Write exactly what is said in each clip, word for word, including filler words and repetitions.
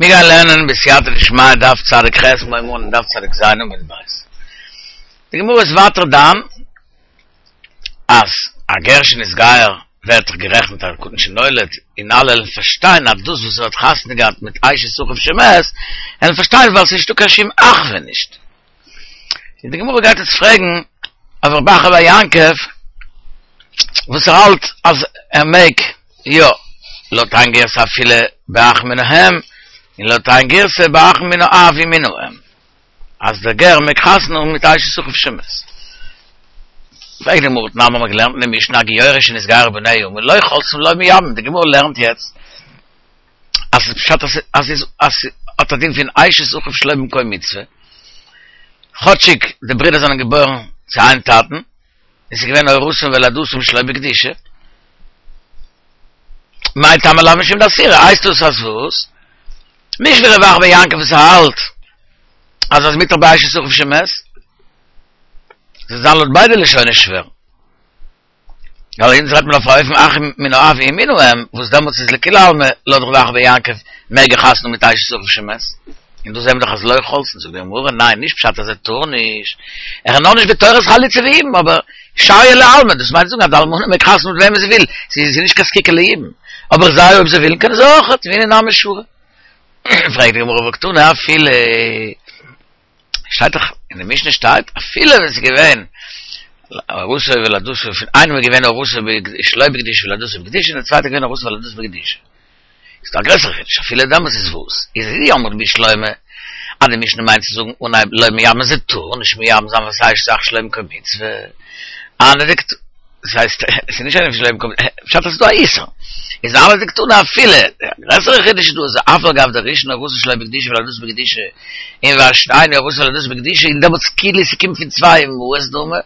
מיר גייען לערנען בסייעתא דשמיא דף צדיק ח' מיר הייבן אן דף צדיק ז' עמוד ב'. די גמרא איז ווייטער דן אז א גר שנתגייר ווערט דאך גערעכנט א קטן שנולד, און אלע וועלן פארשטיין אז דאס וואס ער האט חתונה געהאט מיט אשת אחיו שמת, וועלן פארשטיין ווייל ס'איז נישטא קיין שום אחווה נישט. און די גמרא גייט יעצט פרעגן אויף רב אחא בר יעקב וואס ער האלט אז ער מעג יא לויט איין גירסא אפילו באח מן האם, און לויט איין גירסא באח מן האב ומן האם, אז דער גר מעג חתונה האבן מיט אשת אחיו שמת. פרעגט די גמרא תנן האבן מיר געלערנט אין די משנה הגיורת שנתגיירו בניה אמה לא חולצין ולא מייבמין, די גמרא לערנט יעצט אז ס'איז פשט אז אז אז ס'האט א דין פון אשת אחיו שלא במקום מצוה, כאטשיג די ברידער זענען געבוירן צו איין טאטן, און ס'איז געווען הורתן ולידתן שלא בקדושה. מאי טעמא לאו משום דאסירא, הייסט דאס אז וואס? נישט ווי רב אחא בר יעקב וואס האלט אז אז מותר באשת אחיו שמת, ס'זאל זיין לויט ביידע לשונות שווער. ווייל אונז רעדט מען אויף א אופן אחים מן האב ומן האם, וואס דעמאלטס איז לכולי עלמא לויט רב אחא בר יעקב מעג ער חתונה האבן מיט אשת אחיו שמת. און דא זעהן מיר דאך אז לא חולצין, זאגט די גמרא, ניין, נישט פשט אז ער טאר נישט, ער איז נאר נישט בתורת חליצה ויבום, אבער שריא לעלמא, דאס מיינט זאגן אז די אלמנה מעג חתונה מיט וועמען זי וויל, זי איז נישט קיין זקוקה ליבום, אבער זיי אויב זיי ווילן קענען זיי אויכעט, והנה נמי שרי. פרעגט די גמרא והקתני אפילו, שטייט דאך אין די משנה שטייט אפילו ווען ס'איז געווען ארוסה ולידתו פון איינעם איז געווען ארוסה שלא בקדושה ולידתו בקדושה און די צווייטע איז געווען ארוסה ולידתו בקדושה. איז דא א גרעסערע חידוש אפילו דעמאלטס איז וואס? איז אי אמרת בשלמא אז די משנה מיינט צו זאגן אנהייב לא מייבמין זי טאר נישט מייבם זיין ווייל ס'איז אשת אח שלא במקום מצוה הני דקתני דאס הייסט עס איז נישט איינער שלא במקום פשט אז ס'איז דא א איסור איז הני דקתני אפילו א גרעסערע חידוש איז דא אז אף על גב דראשונה ארוסה שלא בקדושה ולידתה בקדושה און והשניה ארוסה ולידתה בקדושה און דעמאלטס כאילו ס'קומט פון צוויי אמהות דמי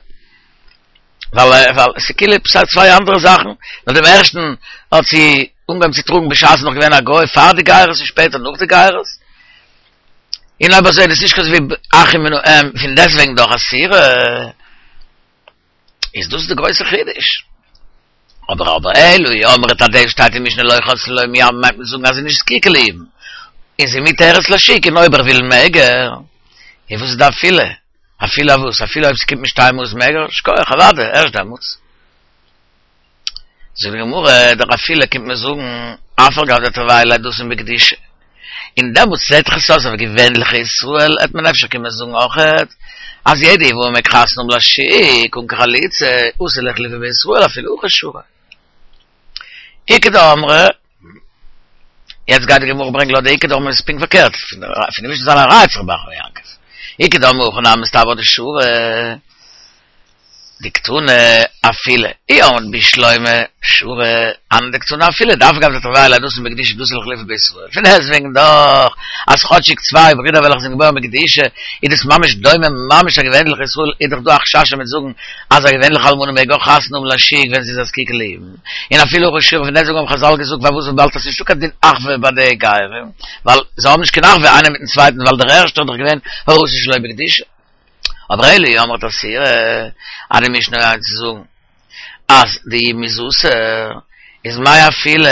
ווייל ווייל ס'איז כאילו עפעס צוויי אנדערע זאכן, ווייל דעם ערשטן האט זי אנגעהויבן צו טראגן בשעת נאך געווען א גוי פאר די גיירות און שפעטער נאך די גיירות, און אויב אזוי איז דאס נישט אזוי ווי אחים מן האם, פון דעסטוועגן דאך אסירה, איז דאס די גרויסע חידוש. אבער אבער אלא אי אמרת אז דאס שטייט אין משנה לא חולצין ולא מייבמין מיינט מען זאגן אז זי איז נישט זקוקה ליבום, און זי מותרת לשוק און אויב ער וויל מעג ער, און וואס איז די אפילו? אפילו אויף וואס? אפילו אויב ס'קומט משתי אמהות מעג ער? שכוח, אוודאי, ערשט דעמאלטס. זאגט די גמרא, דער אפילו קומט מען זאגן, אף על גב דתרוייהו לידתן בקדושה. און דעמאלטס זעט זיך עס אויס אויף געווענליכע ישראל, העט מען אפשר קומען זאגן אויכעט, אז יעדע יבמה מעג חתונה האבן לשוק אן קיין חליצה, אתי לאיחלופי בישראל אפילו הכי שרי. איכא דאמרי, יעצט גייט די גמרא ברענגען לויט די איכא דאמרי איז פונקט פארקערט, פון די משנה זיין א ראיה צו רב אחא בר יעקב. איכא דאמרי הכי נמי מסתברא דשרי דקתני אפילו, אי אמרת בשלמא שרי הני דקתני אפילו, דאף על גב דתרוייהו לידתן בקדושה דאתי לאיחלופי בישראל. פון דעסטוועגן דאך אז כאטשיג צוויי ברידער וועלכע זענען געבוירן בקדושה איז דאס ממש דומה ממש א געווענליכע ישראל איז דאך דא א חשש מ'וועט זאגן אז א געווענליכע אלמנה מעג אויך חתונה האבן לשוק ווען זי איז א זקוקה ליבום און אפילו הכי שרי פון דעסטוועגן האבן חזל געזאגט פארוואס וויבאלד עס איז נישטא קיין דין אחווה ביי די גרים ווייל זיי האבן נישט קיין אחווה איינער מיטן צווייטן ווייל דער ערשטער איז דאך געווען ארוסה שלא בקדושה אבער אלא אי אמרת אסירא אז די משנה גייט צו זאגן אז די יבום איז אסור איז מאי אפילו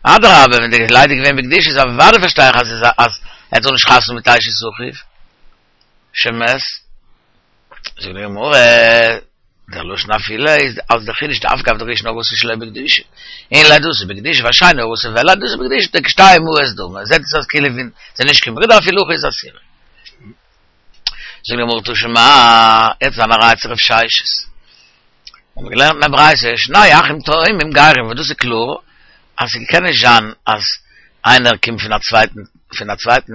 אדרבה ווען די לידה איז געווען בקדושה איז אוודאי פארשטיי איך אז אז ער טאר נישט חתונה מיט אשת אחיו שמת זאגט די גמרא דער לשון אפילו איז אלס דער חידוש דאף על גב דראשונה ארוסה שלא בקדושה און לידתה בקדושה והשניה ארוסה ולידתה בקדושה דכשתי אמהות דמי זעט עס אויס כאילו ווי זיי נישט קיין ברידער אפילו הכי איז אסירא זאגט די גמרא תא שמע יעצט זיין א ראיה צו רב ששת האבן מיר געלערנט אין א ברייתא, שני אחים תאומים גרים, וואס דאס איז קלאר אז ס'קען נישט זיין אז איינער קומט פון א צווייטן פון א צווייטן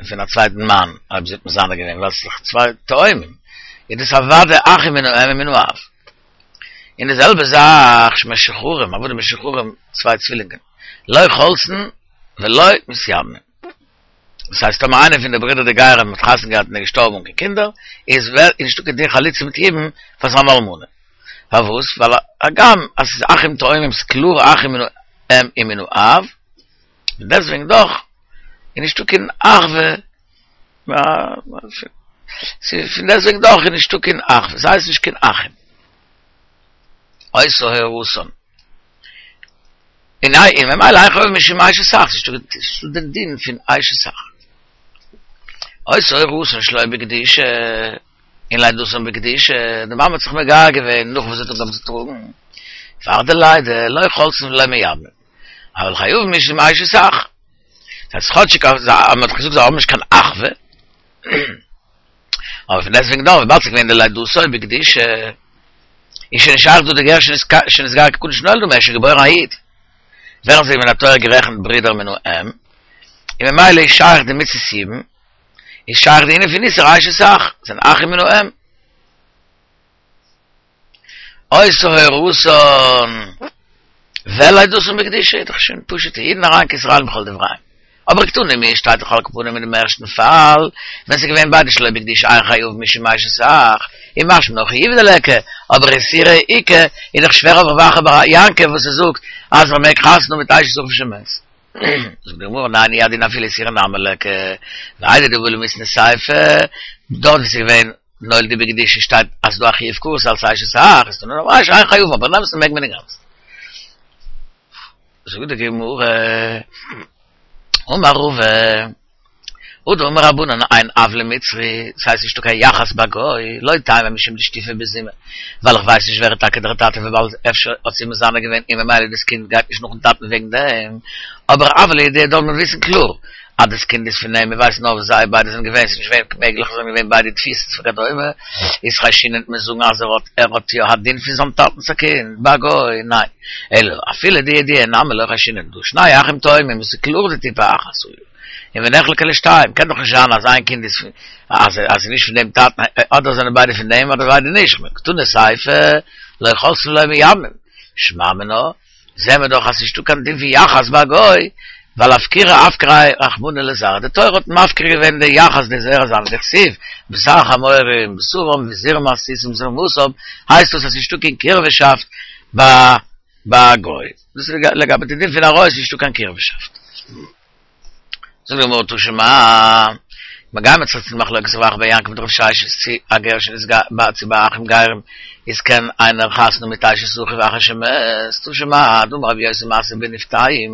פון א צווייטן מאן אויב זי האט מזנה געווען ווייל ס'איז דאך צוויי תאומים, איז דאס אוודאי אחים מן האם ומן האב. און די זעלבע זאך משוחררים, עבדים משוחררים, צוויי צווילינגען, לא חולצין ולא מתייבמין. דאס הייסט טאמער איינער פון די ברידער די גרים האט חתונה געהאט און איז געשטארבן אן קיין קינדער, איז ווער איז נישטא קיין דין חליצה מיט יבום פאר זיין אלמנה. פארוואס? ווייל הגם אז ס'איז אחים תאומים ס'איז קלאר אחים מן האם ומן האב, און דעסטוועגן דאך איז נישטא קיין אחווה, פון דעסטוועגן דאך איז נישטא קיין אחווה, ס'הייסט נישט קיין אחים. היתה הורתן. אין אין ממילא אין חייב משום אשת אח, ס'איז דא דער דין פון אשת אח. היתה הורתן שלא בקדושה, און לידתן בקדושה, די מאמע האט זיך מגייר געווען נאך וואס זי האט אנגעהויבן צו טראגן, פאר די לידה, לא חולצין ולא מייבמין, אבל חייבין משום אשת אח. דאס הייסט כאטשיג אז מען האט געזאגט זיי האבן נישט קיין אחווה, אבער פון דעסטוועגן דאך וויבאלד ס'איז געווען די לידתו בקדושה, איז שוין נישט שייך דא די גר שנתגייר כקטן שנולד, ער איז שוין געבוירן א איד, ווערן זיי מן התורה גערעכנט ברידער מן האם, און ממילא איז שייך די מצות יבום, איז שייך די ענין פון איסור אשת אח, זענען אחים מן האם. היתה הורתן ולידתן בקדושה איז דאך שוין פשוטע אידן אריין כישראלים בכל דבריהם. אבער קתני מיהת שטייט דאך על כל פנים אין דעם ערשטן פאל, ווען ס'איז געווען ביידע שלא בקדושה אין חייבין משום אשת אח, און משמע נאר חיובא דליכא, אבער איסורא איכא, איז דאך שווער אויף רב אחא בר יעקב וואס ער זאגט אז מ'מעג חתונה האבן מיט אשת אחיו שמת. זאגט די גמרא ניין הוא הדין אפילו איסורא נמי ליכא, ואיידי דבעי למיתני סיפא, דארט ווי ס'איז געווען נולדו בקדושה שטייט אז ס'דא א חיוב כרת אלס אשת אח, איז תנא דמרישא אין חייבין אבער אין אמת'ן מעג מען אינגאנצן. זאגט די גמרא, אמר רבא, הא דאמור רבנן אין אב למצרי, ס'הייסט נישטא קיין יחס ביי גוי, לא טעמא משום דשטיפי בזימה, ווייל איך ווייס נישט ווער איז טאקע דער טאטע וויבאלד אפשר האט זי מזנה געווען און ממילא דאס קינד גייט נישט נאכן טאטן וועגן דעם, אבער אבל לידיעה דארף מען וויסן קלאר אז דאס קינד איז פון אים, מען ווייסט נאר וואו זיי ביידע זענען געווען, ס'איז נישט געווען מעגליך זיי זענען געווען ביידע אין תפיסות וכדומה, איז חיישינן מיר זאגן אז ער האט ער האט יא א דין פון זיין טאטנ'ס א קינד, ביי גוי, ניין, אלא אפילו דידיעה נמי לא חיישינן, דהא שני אחים תאומים וואס איז קלאר דטיפה אחת היו, און ונחלקו לשתיים, קען דאך נישט זיין אז איין קינד איז פון אז אז נישט פון דעם טאטן, אדער זענען ביידע פון דעם אדער ביידע נישט, קתני סיפא, לא חולצין ולא מייבמין, שמע מינה, זעהן מיר דאך אז ס'נישטא קיין דין פון יחס ביי א גוי, ווייל אפקירה אפקריה רחמנא לזרעא, די תורה האט מפקיר געווען די יחס די זרע זיינע, דכתיב, בשר חמורים בשרם וזרמת סוסים זרמתם, הייסט דאס אז ס'נישטא קיין קירבה'שאפט ביי ביי א גוי, דאס איז לגבי די דין פון עריות נישטא קיין קירבה'שאפט. זאגט די גמרא תא שמע, מיר גיימיר צוריק צו די מחלוקת רב אחא בר יעקב מיט רב ששת צו א גר שנתגייר צו ביי אחים גרים איז קען איינער חתונה מיט אשת אחיו אחר שמת, תא שמע, דאמר רבי יוסי מעשה בנפתיים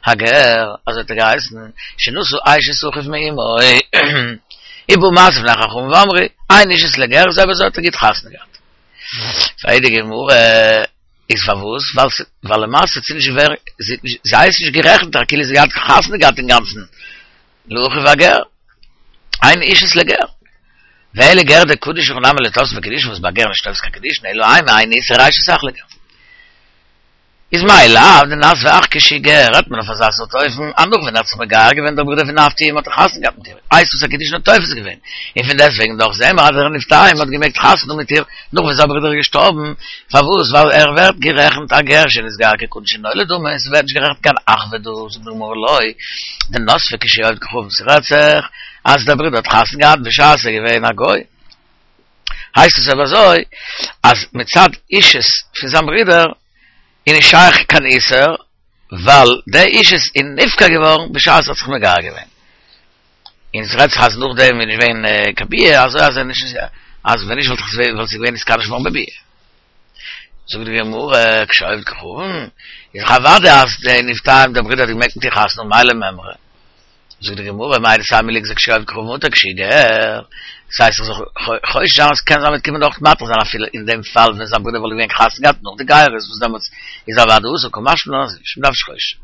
הגר, אזוי האט ער געהייסן, שנשא אשת אחיו מאמו, ובא מעשה לפני חכמים ואמרו, אין אישות לגר, איז אויב אזוי האט ער גוט חתונה געהאט. פרעגט די גמרא, איז פארוואס? ווייל למעשה האט זי נישט ווער, זי הייסט נישט גערעכנט כאילו זי האט חתונה געהאט אינגאנצן לאחיו הגר, אין אישות לגר. ואלא גר דקדיש הכי נמי לא תפסי ביה קידושין וואס ביי גר נישט תופס קיין קידושין אלא אימא אין איסור אשת אח לגר. איז מאי לאו דנסביה אח כשהוא גר רעדט מען אויף אזא סארט אופן אז נאך ווען ער האט זיך מגייר געווען דער ברודער פון נפתיים האט ער חתונה געהאט מיט איר הייסט עס אז קידושין האט תופס געווען און פון דעסטוועגן דאך זעהן מיר אז דער נפתיים האט געמעגט חתונה האבן מיט איר נאך ווען זיין ברודער איז געשטארבן פארוואס ווייל ער ווערט גערעכנט א גר שנתגייר כקטן שנולד דמי און ס'ווערט נישט גערעכנט קיין אחווה דא זאגט די גמרא לא דנסביה כשהוא עובד כוכבים ס'רעדט זיך אז דער ברודער האט חתונה געהאט בשעת ער איז געווען א גוי הייסט עס אויב אזוי אז מצד אישות פון זיין ברודער איז נישט שייך קיין איסור ווייל די אישות איז נפקע געווארן בשעת ער האט זיך מגייר געווען און עס רעדט זיך אז נאכדעם איז נישט געווען קיין ביאה אזוי אז נישט אז ווען נישט וואלט זי געווען נתקדש געווארן בביאה. זאגט די גמרא כשעובד כוכבים איז דאך אוודאי אז די נפתיים דער ברודער האט געמעגט מיט איר חתונה האבן מאי למימרא. זאגט די גמרא מהו דתימא ליגזור כשעובד כוכבים מותר כשהוא גר, דאס הייסט איך זאל חושש זיין אז קען זיין מ'וועט קומען דאך מתיר זיין אפילו אין דעם פאל ווען זיין ברודער וואלט געווען חתונה געהאט נאך די גירות וואס דעמאלטס איז אוודאי אסור קא משמע לן אז נישט מ'דארף נישט חושש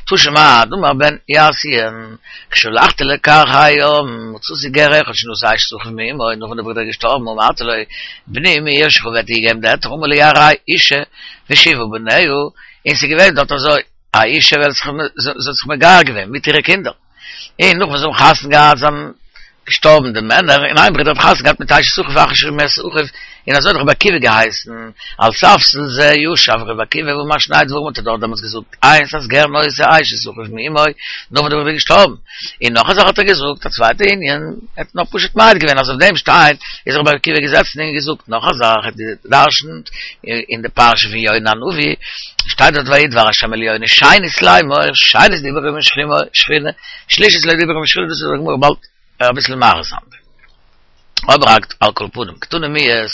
תא שמע דאמר בן יאסיאן כשהלכתי לכרך הים מצאתי גר אחד שנשא אשת אחיו מאמו נאך ווען דער ברודער איז געשטארבן אמרתי לו בני מי ירשך ווער וועט דיר געבן די היתר אמר לי הרי אשה ושבעה בניה און ס'איז געווען דארט אזוי א אישה וועלכע זי האט זיך מגייר געווען מיט אירע קינדער, און נאך וואס זיי האבן חתונה געהאט זענען געשטארבן די מענער, און איין ברודער האט חתונה געהאט מיט אשת אחיו אחר שמת אחיו, און אזוי האט רבי עקיבא געהייסן, על ספסל זה ישב רבי עקיבא ואמר שני דברים האט ער דארט דעמאלטס געזאגט, איינס אז גר נושא אשת אחיו מאמו, נאך וואס דער ברודער איז געשטארבן, און נאך א זאך האט ער געזאגט, א צווייטע ענין, ער האט נאר פשוט מעיד געווען אז אויף דעם שטיין איז רבי עקיבא געזעצן און געזאגט נאך א זאך, ער האט גע'דרש'נט אין די פרשה פון יונה הנביא, שטייט דארט ויהי דבר השם אל יונה שנית לאמור, שנית דיבר עמו שכינה, שלישית לא דיבר עמו שכינה, דאס איז די גמרא באלד אביסל מאריך זיין. אבער על כל פנים, קתני מיהת,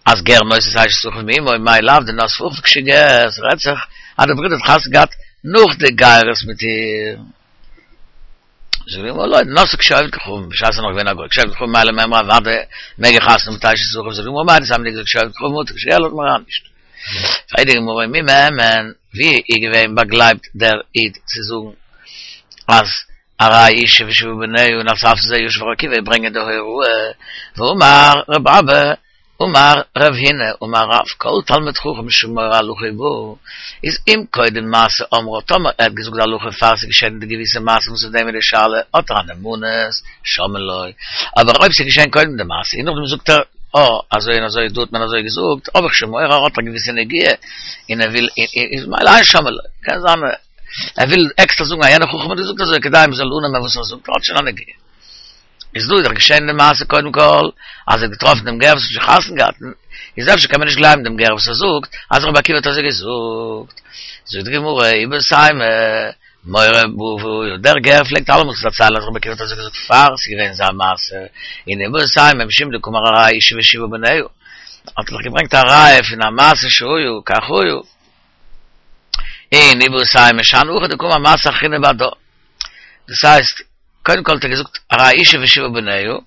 אז גר נושא אשת אחיו מאמו, מאי לאו דנסבה אחיו כשהוא גר, ס'רעדט זיך אז דער ברודער האט חתונה געהאט נאך די גירות מיט איר. זאגט די גמרא לא, נשאה כשהוא עובד כוכבים, בשעת ער איז נאך געווען א גוי, כשהוא עובד כוכבים מהו למימרא אוודאי מעג ער חתונה מיט אשת אחיו, זאגט די גמרא מהו דתימא דאי כשהוא עובד כוכבים מותר, כשהוא גר לאזט מען אריין נישט. פרעגט די גמרא מי מהימן, ווי איז געווען באגלייבט דער איד צו זאגן אז הרי אשה ושבעה בניה און על ספסל זה ישב רבי עקיבא ברענגען די הוראה, והאמר רב אבא אמר רב הונא אמר רב כל תלמיד חכם שמורה הלכה בא איז אם קודם מעשה אמרה טאמער ער האט געזאגט די הלכה פאר ס'איז געשען די געוויסע מעשה וואס אויף דעם איז די שאלה האט ער א נאמנות שומעין לו אבער אויב ס'איז געשען קודם די מעשה און נאכדעם זאגט ער אה אזוי און אזוי דא האט מען אזוי געזאגט האב איך שוין מורא ער האט א געוויסע נגיעה און ער וויל איז ממילא אין שומעין לו קען זיין ער וויל עקסטער זאגן אז יענער חכם האט געזאגט אזוי כדי מ'זאל אננעמען וואס ער זאגט ער האט שוין א נגיעה. איז דא איז דאך געשען די מעשה קודם כל אז ער האט געטראפן דעם גר וואס האט שוין חתונה געהאט, איז אפשר קען מען נישט גלייבן דעם גר וואס ער זאגט אז רבי עקיבא האט אזוי געזאגט, זאגט די גמרא איבעית אימא מורה באה, דער גר פלעגט אלעמאל צו דערציילן אז רבי עקיבא האט אזוי געזאגט פאר ס'איז געווען זיין מעשה, און איבעית אימא משום דקאמר הרי אשה ושבעה בניה, האט ער דאך געברענגט א ראיה פון א מעשה שהיה כך היה, און איבעית אימא שאני הכא דקאמר מעשה אחרינא בהדה. דאס הייסט, קודם כל האט ער געזאגט הרי אשה ושבעה בניה, און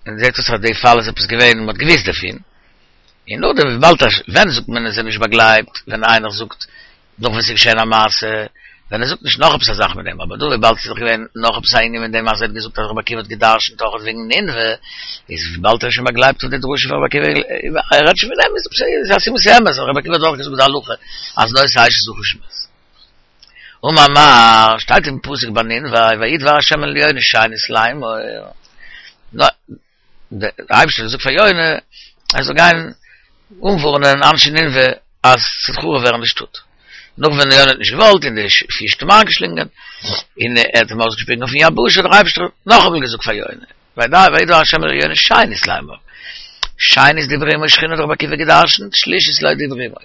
און זעט אויס אז די פאל איז עפעס געווען מען האט געוויסט דערפון, און נאכדעם וויבאלד אז ווען זאגט מען עס איז נישט באגלייבט ווען איינער זאגט נאך ווען ס'איז געשען א מעשה, ווען ער זאגט נישט נאך עפעס א זאך מיט דעם, אבער דא וויבאלד ס'איז דאך געווען נאך עפעס א ענין מיט דעם אז ער האט געזאגט אז רבי עקיבא האט גע'דרש'נט אויך וועגן נינוה, איז וויבאלד ער איז שוין באגלייבט אויף די דרשה פון רבי עקיבא, ער רעדט שוין פון דעם, איז א סימן ס'אמת אז רבי עקיבא האט אויך געזאגט די הלכה אז נושא אשת אחיו שמת. אמר מר, שטייט אין פסוק ביי נינוה, ויהי דבר השם אל יונה שנית לאמור, דער אייבערשטער האט געזאגט פאר יונה ער זאל גיין אנווארענען אנשי נינוה אז ס'וועט חרוב ווערן די שטאט, נאך ווען יונה האט נישט געוואלט און די פיש האט אים איינגעשלינגען און ער האט אים אויסגעשפיגן אויפן יבשה, האט דער אייבערשטער נאכאמאל געזאגט פאר יונה, ויהי דבר השם אל יונה שנית לאמור, שנית דברה עמו שכינה האט רבי עקיבא געדרשנט, שלישית לא דברה עמו.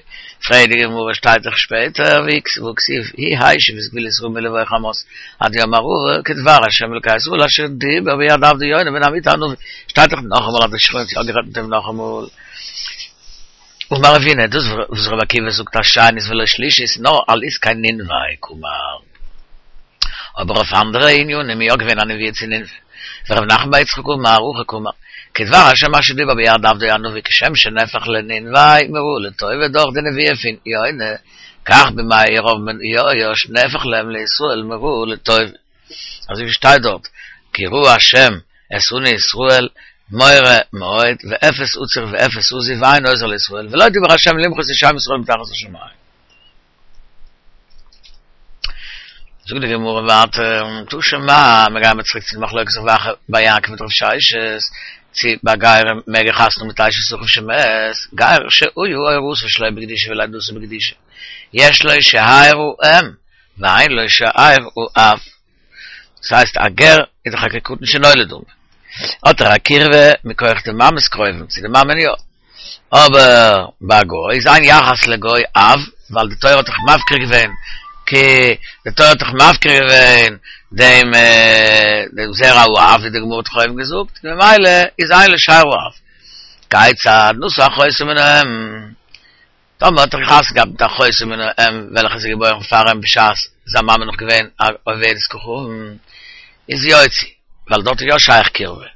פרעגט די גמרא שטייט דאך שפעטער והכתיב הוא השיב את גבול ישראל מלבוא חמת עד ים הערבה כדבר ה' אלקי ישראל אשר דיבר ביד עבדו יונה בן אמיתי הנביא שטייט דאך נאכאמאל אז די שכינה האט יא גערעדט מיט אים נאכאמאל. אמר רב הונא דאס וואס רבי עקיבא זאגט אז שנית ולא שלישית נאר על עסקי נינוה קאמר אבער אויף אנדערע ענינים איז יא געווען א נבואה צו נינוה ורב נחמן בר יצחק אמר הכי קאמר כדבר השם אשר דיבר ביד עבדו הנביא כשם שנהפך לנינוה מרעה לטובה דורך די נבואה פון יונה כך בימי ירבעם בן יואש נהפך להם לישראל מרעה לטובה אזוי ווי שטייט דארט כי ראה השם את עני ישראל מרה מאוד ואפס עצור ואפס עזוב ואין עוזר לישראל ולא דיבר השם למחות את שם ישראל מתחת השמים. זאגט די גמרא ווייטער, תא שמע, מיר גייען צוריק צו די מחלוקת רב אחא בר יעקב מיט רב ששת, צו ביי גרים מעג ער חתונה מיט אשת אחיו שמת, גר שהיה הורתו שלא בקדושה ולידתו בקדושה, יש לו שאר האם, ואין לו שאר האב. דאס הייסט א גר איז דאך א כקטן שנולד דמי, האט ער א קירבה מכח די מאמע'ס קרובים צו די מאמע'ן יא, אבער ביי א גוי איז אין יחס לגוי אב, ווייל די תורה האט דאך מפקיר געווען כי די תורה האט דאך מפקיר געווען דעם דעם זרע האב ווי די גמרא האט דאך אויבן געזאגט, ממילא איז אין לו שאר האב. כיצד נשא אחותו מן האם. טאמער האט ער חתונה געהאט מיט אחותו מן האם וועלכע איז געבוירן פאר אים בשעת זיין מאמע נאך געווען א עובדת כוכבים, איז יוציא, ווייל דארט איז יא שייך קירבה.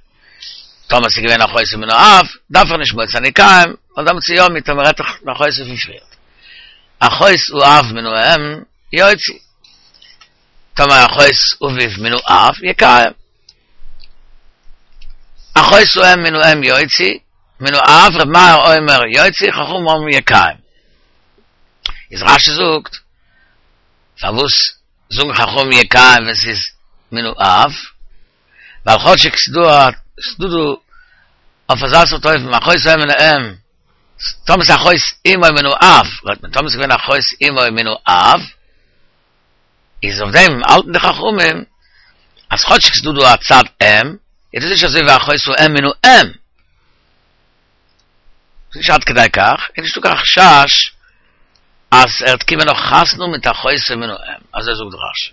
טאמער ס'איז געווען אחותו מן האב, דארף ער נישט מוציא יקיים, ווייל דעמאלטס איז יא מותר, מ'רעדט דאך פון אחותו פון פריערט. אחות האב מן האם, יוציא. טאמער אחות אביו מן האב, יקיים. אחות האם מן האם יוציא, מן האב, ר' מאיר אומר יוציא, חכמים אומרים יקיים. איז רשי זאגט, פארוואס זאגן חכמים יקיים ווען ס'איז מן האב? ווייל כאטשיג ס'דא א ס'דא דא אויף אזא סארט אופן אחות האם מן האם, טאמער ס'איז אחות אמו מן האב, רעדט מען, טאמער ס'איז געווען אחות אמו מן האב, איז אויף דעם האלטן די חכמים אז כאטשיג ס'דא דא א צד אם, איז דאס נישט אזוי ווי אחות האם מן האם. ס'איז נישט עד כדי כך, איז נישטא קיין חשש אז ער וועט קומען נאך חתונה מיט אחותו מן האם, אזוי זאגט רשי.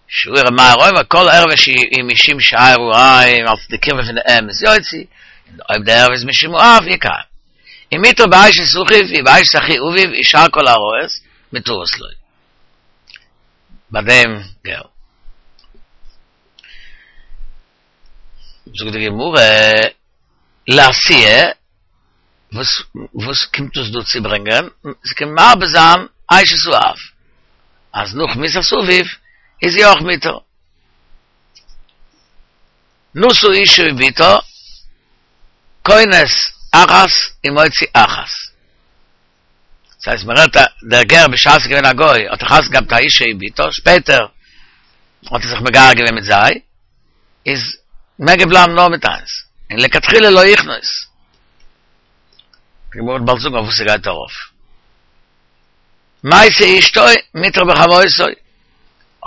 שיעור ר' מאיר אומר כל ערווה שהיא משום שאר האם אלס די קירבה פון די אם איז יוציא, און אויב די ערווה איז משום האב יקיים. אם מותר באשת אחיו, ובאשת אחי אביו, ושאר כל העריות, מותרות לו. ביי דעם גר. זאגט די גמרא, לאתויי, וואס וואס קומט דאס דא צו ברענגען? ס'קומט מרבה זיין אשת האב, אז נאך מיתת אביו איז זי אויך מותר. נשא אשה ובתה, כונס אחת ומוציא אחת. דאס הייסט מען רעדט דער גר בשעת ער איז געווען א גוי האט ער חתונה געהאט מיט א אשה ובתה, שפעטער האט ער זיך מגייר געווען מיט זיי, איז מעג ער בלייבן נאר מיט איינס, און לכתחילה לא יכנוס. די גמרא וועט באלד זאגן אויף וואס ס'גייט ארויף. מתה אשתו מותר בחמותו,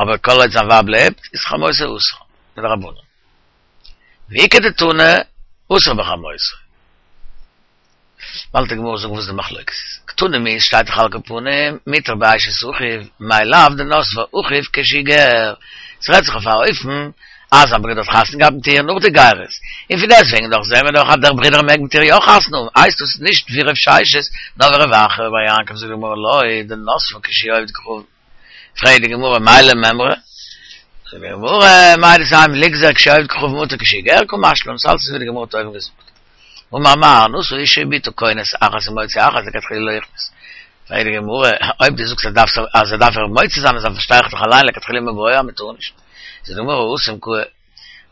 אבער כל עוד זיין ווייב לעבט איז חמותו אסור, מדרבנן. ואיכא דתני אסור בחמותו. באלד די גמרא זאגן וואס די מחלוקת איז. קתני מיהת שטייט דאך על כל פנים מותר באשת אחיו, מאי לאו דנסבה אחיו כשהוא גר. ס'רעדט זיך אויף א אופן אז א ברודער האט חתונה געהאט מיט איר נאך די גירות, און פון דעסטוועגן דאך זעהן מיר דאך אז דער ברודער מעג מיט איר יא חתונה האבן, הייסט דאס נישט ווי רב ששת, נאר ווי רב אחא בר יעקב זאגט די גמרא לא, דנסבה כשהוא עובד כוכבים. פרעגט די גמרא מאי למימרא? זאגט די גמרא מהו דתימא ליגזור כשהוא עובד כוכבים מותר כשהוא גר קא משמע לן, ס'אלץ איז ווי די גמרא האט אויבן געזאגט. אמר מר נשא אשה ובתה כונס אחת ומוציא אחת לכתחילה לא יכנוס. פרעגט די גמרא, אויב דו זאגסט אז דארפסט אז ער דארף איר מוציא זיין אזוי פארשטיי איך דאך אליין לכתחילה מיבעיא אז מ'טאר נישט. זאגט די גמרא התם קאי,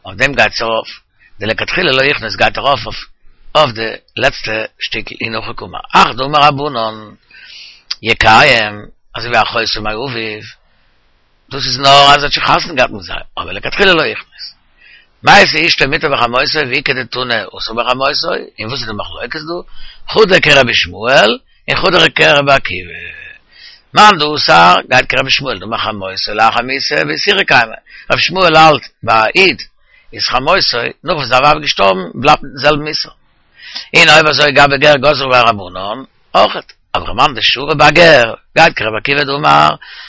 אויף דעם גייט עס ארויף, די לכתחילה לא יכנוס גייט ארויף אויף אויף די לעצטע שטיקל אין הכי קאמר, אחת דאמור רבנן יקיים, אזוי ווי אחותו מאביו, דאס איז נאר אז ער האט שוין חתונה געהאט מיט זיי, אבער לכתחילה לא יכנוס. מתה אשתו מותר בחמותו ואיכא דתני אסור בחמותו, און וואס איז די מחלוקת דא? חדא כרבי ישמעאל און חדא כרבי עקיבא. מאן דאסר גייט כרבי ישמעאל דאמר חמותו לאחר מיתה באיסורא קיימא, רבי ישמעאל האלט ביי א איד איז חמותו נאך וואס זיין ווייב איז געשטארבן בלייבט מיטן זעלבן איסור. און אויב אזוי גבי גר גזרו ביה רבנן אויכעט. אבער מאן דשרי בגר גייט כרבי עקיבא דאמר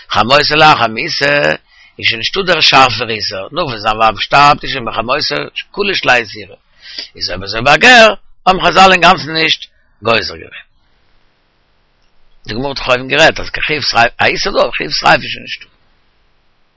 חמותו לאחר מיתה איז שוין נישטא דער שארפער איסור, נאך וואס זיין ווייב שטארבט איז שוין ביי חמותו קלוש ליה איסורא, איז אויב אזוי ביי גר האבן חזל אינגאנצן נישט גוזר געווען. די גמרא האט דאך אויבן גערעדט אז קיין חיוב שריפה, א איסור דא, חיוב שריפה איז שוין נישטא.